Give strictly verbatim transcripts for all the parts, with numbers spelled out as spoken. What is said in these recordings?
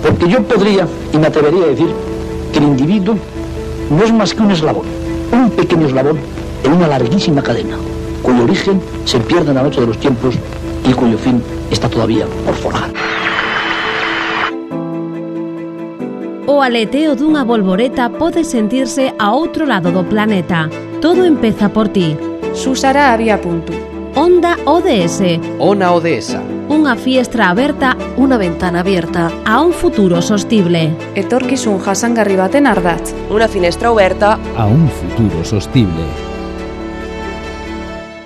Porque yo podría, y me atrevería a decir, que el individuo no es más que un eslabón, un pequeño eslabón en una larguísima cadena, cuyo origen se pierde en la noche de los tiempos y cuyo fin está todavía por forjar. O aleteo dunha bolboreta pode sentirse a outro lado do planeta. Todo empeza por ti. Susara había punto. Onda O D S. Ona Odesa. Unha fiestra aberta, unha ventana abierta a un futuro sostible. Etorkizun jasangarri baten ardatz. Unha finestra aberta a un futuro sostible.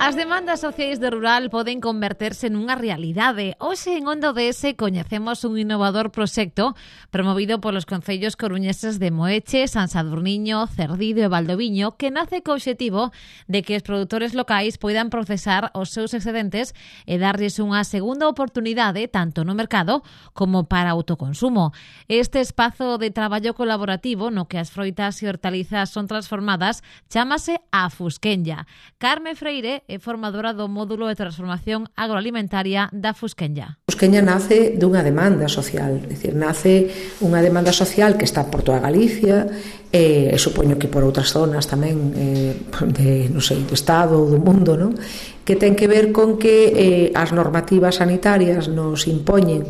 As demandas sociais de rural poden converterse nunha realidade. Hoxe en Onda O D S coñecemos un innovador proxecto promovido polos concellos coruñeses de Moeche, San Sadurniño, Cerdido e Valdoviño, que nace co obxectivo de que os produtores locais poidan procesar os seus excedentes e darlles unha segunda oportunidade tanto no mercado como para autoconsumo. Este espazo de traballo colaborativo no que as froitas e hortalizas son transformadas chámase Afusquenya. Carme Freire é formadora do módulo de transformación agroalimentaria da Fusquenya. Fusquenya nace dunha demanda social, é dicir, nace unha demanda social que está por toda Galicia e, e supoño que por outras zonas tamén eh, de, non sei, do Estado ou do mundo, non? Que ten que ver con que eh, as normativas sanitarias nos impoñen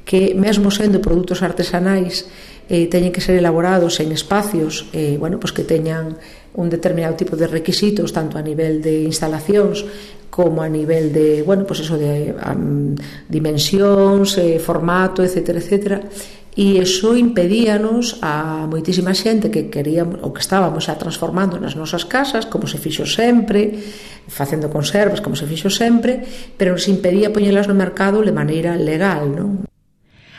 que mesmo sendo produtos artesanais eh, teñen que ser elaborados en espacios eh, bueno, pues que teñan un determinado tipo de requisitos tanto a nivel de instalacións como a nivel de, bueno, pues eso de um, dimensións, eh, formato, etcétera, etcétera. E iso impedíanos a moitísima xente que queríamos ou que estábamos xa transformando nas nosas casas, como se fixo sempre, facendo conservas, como se fixo sempre, pero nos impedía poñelas no mercado de maneira legal, non?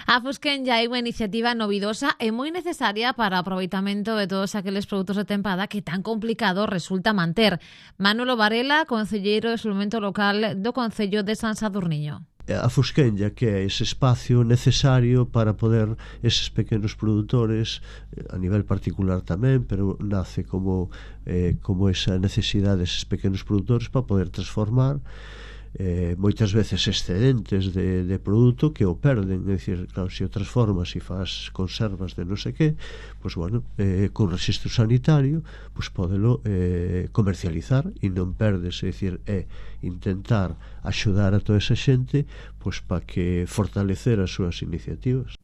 A Fusquenya é unha iniciativa novidosa e moi necesaria para o aproveitamento de todos aqueles produtos de tempada que tan complicado resulta manter. Manolo Varela, concelleiro de Desenvolvemento Local do Concello de San Sadurniño. A Fusquenya, que é ese espacio necesario para poder eses pequenos produtores, a nivel particular tamén, pero nace como, eh, como esa necesidade deses pequenos produtores para poder transformar Eh, moitas veces excedentes de, de produto que o perden, é dicir, claro, se o transformas e faz conservas de non sei que, pois bueno, eh, con registro sanitario pois podelo eh, comercializar e non perdes, é dicir, é intentar axudar a toda esa xente pois para que fortalecer as súas iniciativas.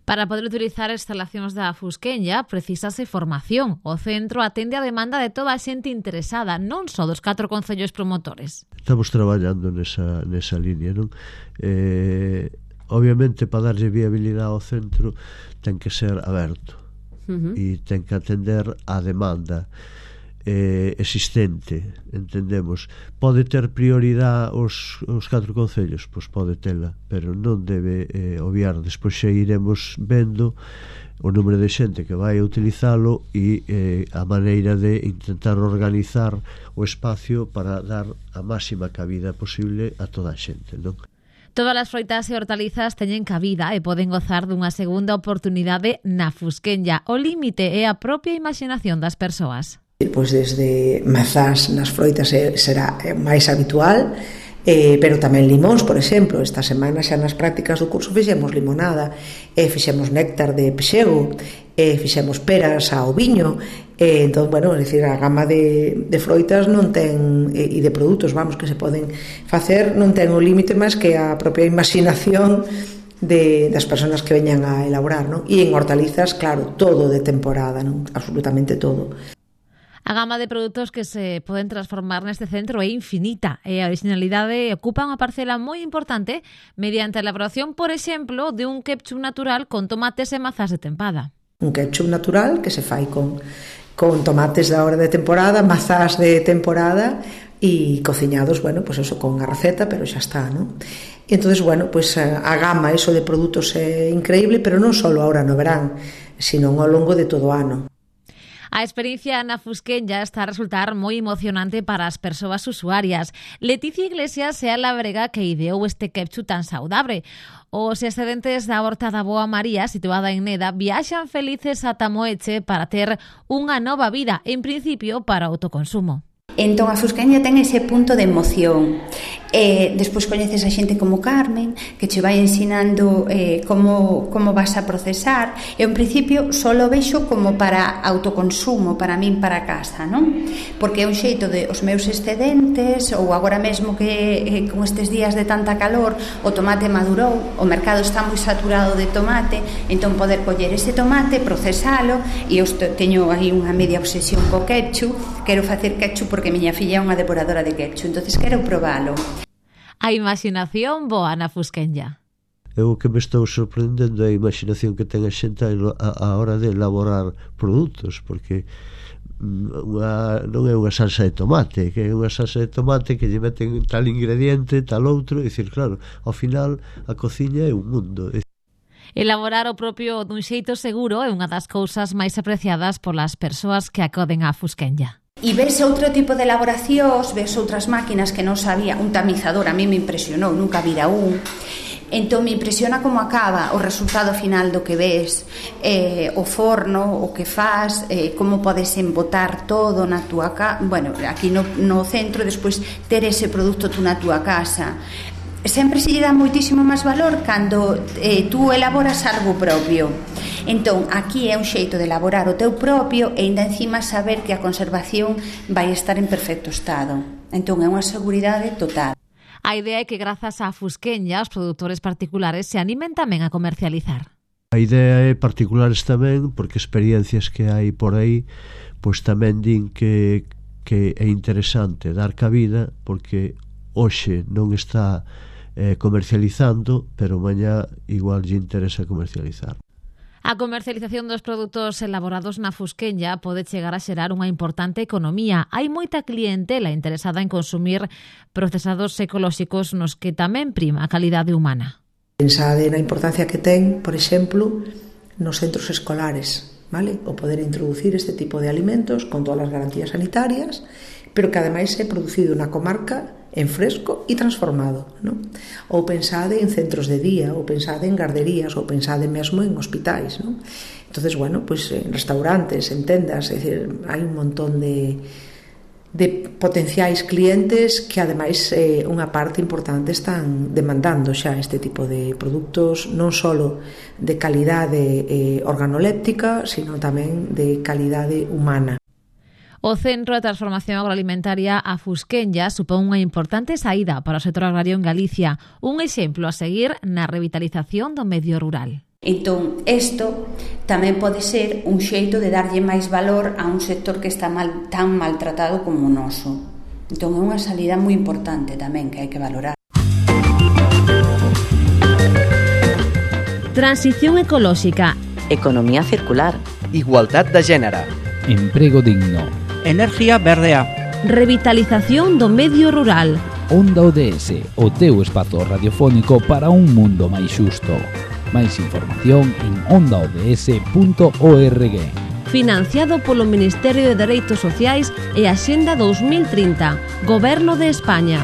Para poder utilizar as instalacións da Fusquenya precisase formación. O centro atende a demanda de toda a xente interesada, non só dos catro concellos promotores. Estamos traballando nesa, nesa línea, non? Eh, obviamente, para darlle viabilidade ao centro ten que ser aberto uh-huh. e ten que atender a demanda eh, existente, entendemos. Pode ter prioridade os, os catro concellos? Pois pode tela, pero non debe eh, obviar. Despois xa iremos vendo o número de xente que vai a utilizalo e eh, a maneira de intentar organizar o espacio para dar a máxima cabida posible a toda a xente, non? Todas as froitas e hortalizas teñen cabida e poden gozar dunha segunda oportunidade na Fusquenya. O límite é a propia imaginación das persoas. Pois desde mazás nas froitas será máis habitual, eh, pero tamén limóns, por exemplo. Esta semana xa nas prácticas do curso fixemos limonada, e fixemos néctar de pexego, e fixemos peras ao viño, e entón, bueno, é dicir, a gama de, de froitas non ten, e, e de produtos, vamos, que se poden facer, non ten o límite máis que a propia imaginación de, das persoas que veñan a elaborar, non? E en hortalizas, claro, todo de temporada, non? Absolutamente todo. A gama de produtos que se poden transformar neste centro é infinita e a originalidade ocupa unha parcela moi importante mediante a elaboración, por exemplo, de un ketchup natural con tomates e mazás de tempada. Un ketchup natural que se fai con, con tomates da hora de temporada, mazás de temporada e cociñados, bueno, pues eso con a receta, pero xa está, non? E entonces, bueno, pues a gama eso de produtos é increíble, pero non só agora no verán, sino ao longo de todo o ano. A experiencia na Fusquenya está a resultar moi emocionante para as persoas usuarias. Leticia Iglesias é a labrega que ideou este ketchup tan saudable. Os excedentes da horta da Boa María, situada en Neda, viaxan felices ata Moeche para ter unha nova vida, en principio para autoconsumo. Entón a Fusquenya ten ese punto de emoción E despois coñeces a xente como Carmen, que che vai ensinando eh, como, como vas a procesar. E en principio só lo vexo como para autoconsumo, para min, para casa, non? Porque é un xeito de os meus excedentes, ou agora mesmo que eh, con estes días de tanta calor o tomate madurou, o mercado está moi saturado de tomate, entón poder coller ese tomate, procesalo, e eu teño aí unha media obsesión co ketchup, quero facer ketchup porque miña filla é unha devoradora de ketchup, entonces quero probalo. A imaginación boa na Fusquenlla. Eu o que me estou sorprendendo é a imaginación que ten a xente a, a hora de elaborar produtos, porque unha, non é unha salsa de tomate, que é unha salsa de tomate que lle meten tal ingrediente, tal outro, e dicir, claro, ao final a cociña é un mundo. Elaborar o propio dun xeito seguro é unha das cousas máis apreciadas polas persoas que acoden á Fusquenlla. E ves outro tipo de elaboracións, ves outras máquinas que non sabía, un tamizador, a mí me impresionou, nunca vira un. Entón me impresiona como acaba o resultado final do que ves, eh, o forno, o que faz, eh, como podes embotar todo na túa casa, bueno, aquí no, no centro, despois ter ese produto tú na túa casa. Sempre se lle dá moitísimo máis valor cando eh, tú elaboras algo propio. Entón, aquí é un xeito de elaborar o teu propio e ainda encima saber que a conservación vai estar en perfecto estado. Entón, é unha seguridade total. A idea é que grazas á Fusquenlla os produtores particulares se animen tamén a comercializar. A idea é particulares tamén, porque experiencias que hai por aí, pois tamén din que, que é interesante dar cabida, porque hoxe non está eh, comercializando, pero mañá igual lle interesa comercializar. A comercialización dos produtos elaborados na Fusquenlla pode chegar a xerar unha importante economía. Hai moita clientela interesada en consumir procesados ecolóxicos nos que tamén prima a calidade humana. Pensade na importancia que ten, por exemplo, nos centros escolares, vale? O poder introducir este tipo de alimentos con todas as garantías sanitarias, pero que ademais é producido na comarca en fresco e transformado, non? Ou pensade en centros de día, ou pensade en garderías, ou pensade mesmo en hospitais, non? Entonces, bueno, pues en restaurantes, en tendas, é dicir, hai un montón de, de potenciais clientes que ademais eh, unha parte importante están demandando xa este tipo de produtos, non só de calidade eh, organoléptica, sino tamén de calidade humana. O Centro de Transformación Agroalimentaria A Fusquenlla supón unha importante saída para o sector agrario en Galicia, un exemplo a seguir na revitalización do medio rural. Entón, isto tamén pode ser un xeito de darlle máis valor a un sector que está mal, tan maltratado como o noso. Entón, é unha salida moi importante tamén que hai que valorar. Transición ecolóxica. Economía circular. Igualdad de género. Emprego digno. Energía verdea. Revitalización do medio rural. Onda O D S, o teu espazo radiofónico para un mundo máis xusto. Máis información en onda o d s punto org. Financiado polo Ministerio de Dereitos Sociais e Axenda dos mil trinta, Goberno de España.